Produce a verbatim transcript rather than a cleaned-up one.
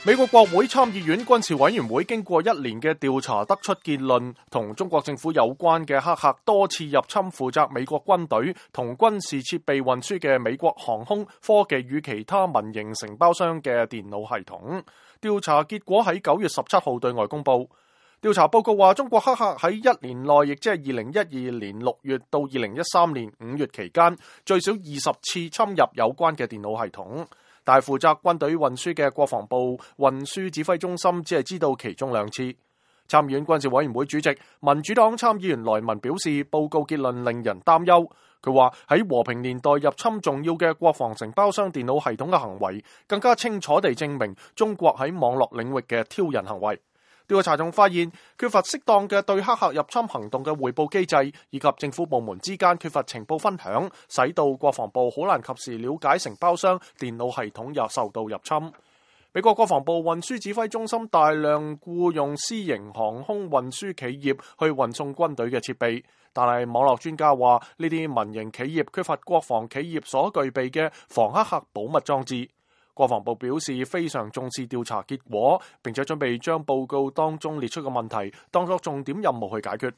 美國國會參議院軍事委員會經過一年嘅調查，得出結論，同中國政府有關嘅黑客多次入侵負責美國軍隊同軍事設備運輸嘅美國航空、科技與其他民營承包商嘅電腦系統。調查結果喺九月十七號對外公佈。調查報告話，中國黑客喺一年內，亦即係二零一二年六月到二零一三年五月期間，最少二十次侵入有關嘅電腦系統。但係負責軍隊運輸嘅國防部運輸指揮中心只係知道其中兩次。參議院軍事委員會主席民主黨參議員萊文表示，報告結論令人擔憂。佢話喺和平年代入侵重要嘅國防承包商電腦系統嘅行為，更加清楚地證明中國喺網絡領域嘅挑釁行為。調查仲發現，缺乏適當嘅對黑客入侵行動嘅匯報機制，以及政府部門之間缺乏情報分享，使到國防部好難及時了解承包商電腦系統又受到入侵。美國國防部運輸指揮中心大量僱用私營航空運輸企業去運送軍隊嘅設備，但係網絡專家話呢啲民營企業缺乏國防企業所具備嘅防黑客保密裝置。國防部表示非常重視調查結果，並且準備將報告當中列出嘅問題當作重點任務去解決。